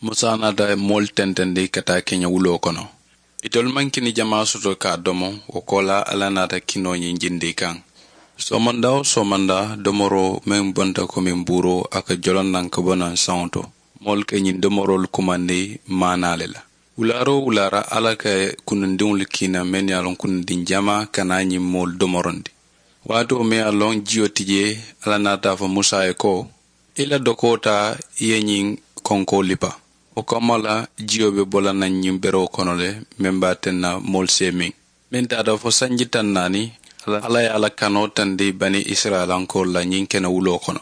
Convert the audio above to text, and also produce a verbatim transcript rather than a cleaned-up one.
Musa naata moolu tentendi ka taa keña wuloo kono. Itolu maŋ kini jamaa soto ka a domo. Wo koolaa alla naata kinoo ñiŋ jindi i kaŋ. Soomandaa wo soomandaa domoroo meŋ bonta komiŋ buuroo a ka joloŋ naŋ ka bo naŋ saŋo to. Moolu ka ñiŋ domoroolu kumandi maanaa le la. Wulaaroo wulaara alla ka kunundiŋolu kiina mennu ye a loŋ kunundiŋ jamaa ka naa ñiŋ moolu domorondi. Waatoo meŋ ye a loŋ jiyo ti jee, alla naata a fo musa ye ko, i la dokoo taa i ye ñiŋ konkoo lipa. Wo kamma la jiyo be bo la naŋ ñiŋ beroo kono le, meŋ be a teŋ na moolu si ye miŋ. Meŋ taata fo sanji taŋ naani, alla ye a la kanoo tandi bani isirayilankoolu la ñiŋ kene wuloo kono.